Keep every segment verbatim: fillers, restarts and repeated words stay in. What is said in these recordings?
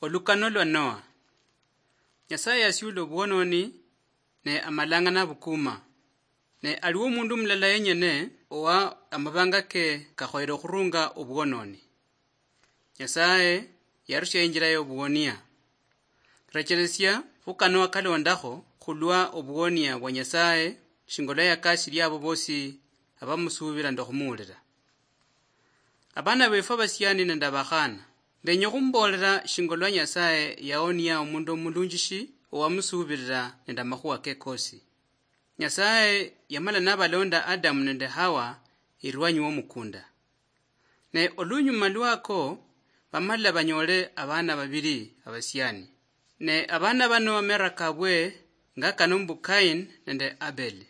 Olukano lwa Noa. Nyasaye yasiula obwononi, ne amalanga nabukuma. Ne aliwo omundu mulala yenyene owa amabanga ke kakhoyere okhurunga obwononi. Nyasaye yarusia injira yobuwonia. Rechelesia khu Kanoa kalondakho khulwa obuwonia bwa Nyasaye, shinga olwa yakasilia abo bosi abamusuubila nende okhumuwulila. Abana befwe abasiani nende abakhana, ndenya okhumbolera shinga olwa Nyasaye yaonia omundu omulunjishi owamusuubilila nende amakhuwa ke kosi. Nyasaye yamala nabalonda Adamu nende Hawa erwanyi womukunda. Ne olunyuma lwako, bamala banyole abana babili abasiani. Ne abana bano amera kabwe nga kano mbu Kain nende Abel.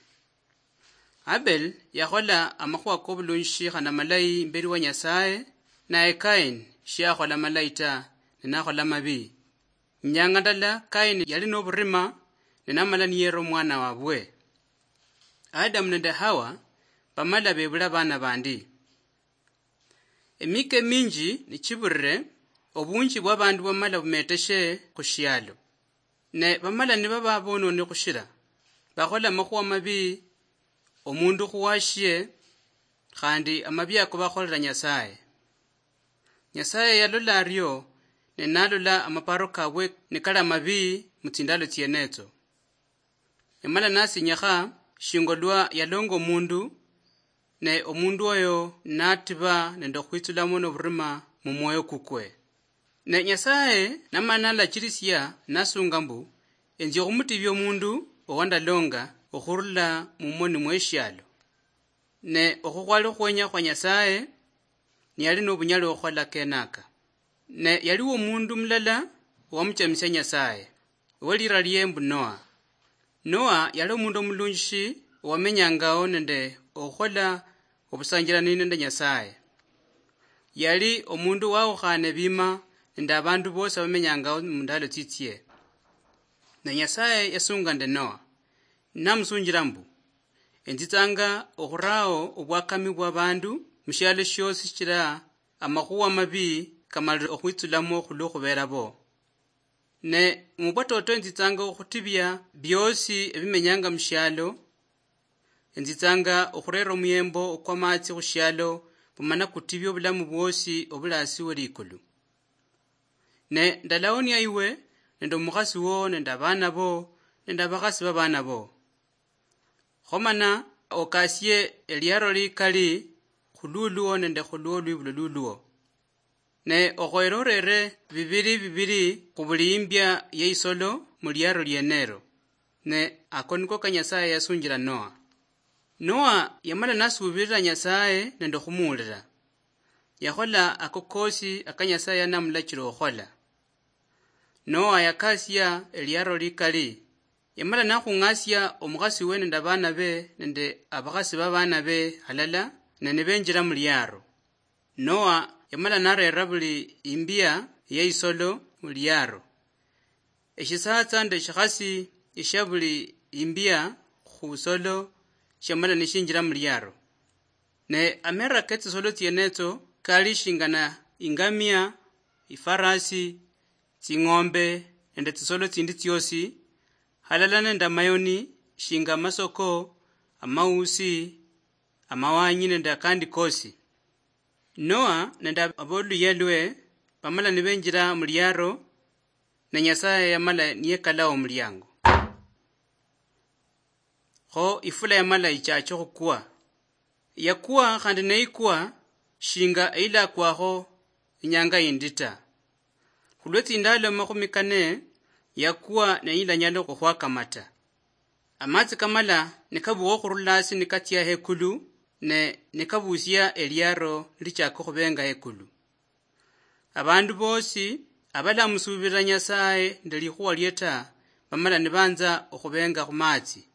Abel yakhola amakhuwa kobulunjishi khana malayi imbeli wa Nyasaye, naye Kain shiakhola malayi ta, ne nakhola mabi. Inyanga ndala Kain yali noburima, ne namala niyera omwana wabwe. Adamu nende Hawa bamala bebula abana bandi. Emika eminji nichibulire, obunji bwabandu bwamala bumeteshe khushialo. Ne bamala nibaba bononi khushira, bakhola amakhuwa mabi, omundu khuwashie, khandi amabi ako bakholera Nyasaye. Nyasaye yalola ario, ne nalola amaparo kabwe nikali amabi mutsindalo tsienetso. Yamala nasinyikha shinga olwa yalonga omundu, ne omundu oyo natiba nende okhwitsulamo noburima mumwoyo kukwe. Ne Nyasaye namala nalachirisia nasunga mbu, enzi okhumutibia omundu owandalonga okhurula mumoni mweshialo. Ne okho khwali okhwenya khwa Nyasaye, niyali nobunyali okhukhola kenaka. Ne yaliwo omundu mulala owamuchamisia Nyasaye, owelira lie mbu Noa. Noa yali omundu omulunjishi owamenyangawo nende okhukhola obusanjirani nende Nyasaye. Yali omundu wawukhane bima nende abandu bosi abamenyangawo mundalo tsitsie. Ne Nyasaye yasunga nende Noa, namusunjira mbu, enzitsanga okhurao obwakami bwabandu mushialo shiosi shichira amakhuwa mabi kamalire okhwitsulamo khulwokhubera bo. Ne mubwatoto enzitsanga okhutibia biosi ebimenyanga mushialo, enzitsanga okhurera omuyembo okwamatsi khushialo, bumana kutibia obulamu bwosi obuli asi welikulu. Ne ndalaonia iwe nende omukhasi wo nende abana bo nende abakhasi babana bo. Khomana okasie eliaro likali khululuo nende khulwo lwibulo luluo. Ne okhoyere orere bibiri bibiri khubuli imbia yeisolo muliaro lienero. Ne ako niko ka Nyasaye yasunjira Noa. Noa yamala nasuubirira Nyasaye nende okhumuwulira. Yakhola ako kosi aka Nyasaye yanamulachira okhukhola. Noa yakasia eliaro likali. Yamala nakhung'asia omukhasi we nende abana be nende abakhasi babana be halala, ne nibenjira muliaro. Noa yamala narera buli imbia yeisolo muliaro. Eshisatsa nde eshikhasi eshia buli imbia khusolo shiamala nishinjira muliaro. Ne amera ketsisolo tsienetso kali shingana ingamia, ifarasi, tsing'ombe nende tsisolo tsindi tsiosi, halala nende amayoni shinga amasoko, amausi, amawanyi nende akandi kosi. Noa nende aboluyia lwe bamala nibenjira muliaro, ne Nyasaye yamala niyekalawo omuliango. Kho ifula yamala ichache okhukwa. Yakwa khandi neikwa shinga eilakwakho inyanga yindi ta. Khulwe tsindalo makhumi kane yakwa neyilanyala okhwakamata. Amatsi kamala nikabukha okhurula hasi nikatsia hekulu, ne nikabusia eliaro nilichaka okhubenga hekulu. Abandu bosi abalamusuubirira Nyasaye nende likhuwa lie ta, bamala nibanza okhubenga khumatsi.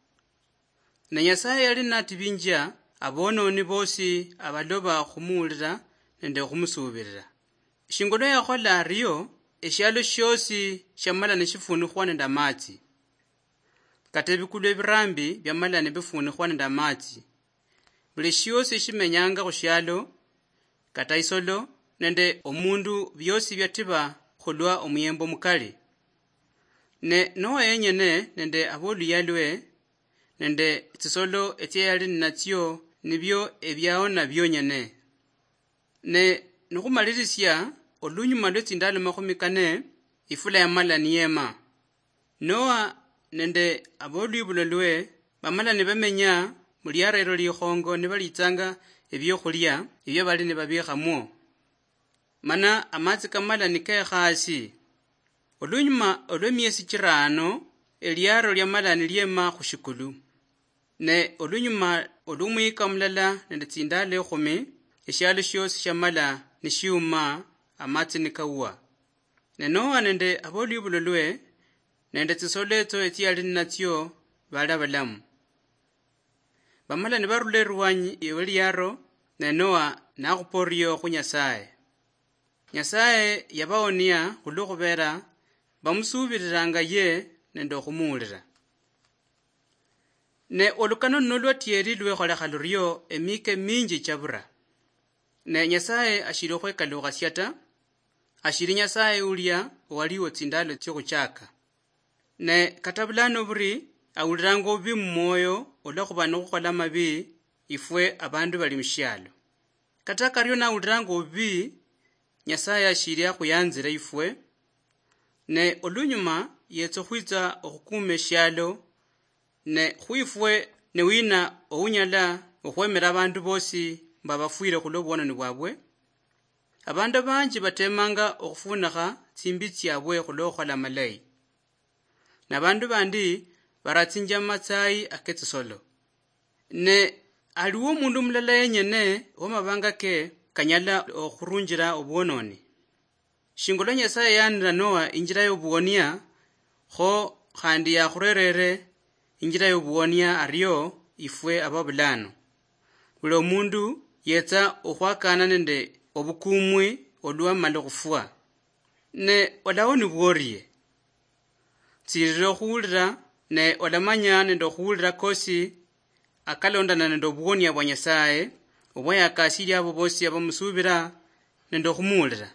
Ne Nyasaye yali natibinjia abononi bosi abaloba okhumuwulira nende okhumusuubirira. Shinga olwa yakhola ario, eshialo shiosi shiamala nishifuunikhwa nende amatsi. Kata ebikulu ebirambi biamala nibifuunikhwa nende amatsi. Buli shiosi eshimenyanga khushialo, kata isolo nende omundu, biosi biatiba khulwa omuyembo mukali. Ne Noa yenyene nende aboluyia lwe nende tsisolo etsia yali ninatsio nibio ebiaona bionyene. Ne nikhumalirisia, olunyuma lwe tsindalo makhumi kane, ifula yamala niyema. Noa nende abolwibulo lwe bamala nibamenya muliara elo likhongo nibalitsanga ebiokhulia ebio bali nibabikhamwo. Mana amatsi kamala nikekha asi. Olunyuma olwemiesi chirano, eliaro liamala niliema khushikulu. Ne olunyuma olwomuyika mulala nende tsindalo ekhumi, eshialo shiosi shiamala nishiuma, amatsi nikawa. Ne Noa nende abolwibulo lwe nende tsisolo etso etsiali ninatsio bali abalamu. Bamala nibarula erwanyi weliaro, ne Noa nakhupa orio khu Nyasaye. Nyasaye yabaonia khulwo khubera bamusuubiriranga ye nende okhumuulira. Ne olukano luno lwatieri lwekholekha lurio emika eminji chabura. Ne Nyasaye ashili okhwekaluukhasia ta, ashili Nyasaye ulia owaliwo tsindalo tsiokhuchaka. Ne kata bulano buri awuliranga obubi mumwoyo olwakhuba nokhukhola amabi ifwe abandu bali mushialo. Kata kario nawuliranga obubi, Nyasaye ashili akhuyanzira ifwe, ne olunyuma yetsa okhwitsa okhukuma eshialo, ne khwifwe ne wina ounyala okhwemera abandu bosi mbu abafwire khulwa obwononi bwabwe? Abandu abanji batemanga okhufunikha tsimbi tsiabwe khulwa okhukhola amalayi. Nabandu bandi baratsinjia mumatsayi aketsisolo. Ne aliwo omundu mulala yenyene wamabanga ke kanyala okhurunjira obwononi. Shinga olwa Nyasaye yaanira Noa injira yobuwonia, kho khandi yakhurerere injira yobuwonia ario ifwe ababulano. Buli omundu yetsa okhwakana nende obukumwi olwamala okhufwa. Ne olawonibwa orie? Tsirira okhuwulira, ne olamanya nende okhuwulira kosi akalondana nende obuwonia bwa Nyasaye, obwa yakasiria abo bosi abamusuubira nende okhumuwulira.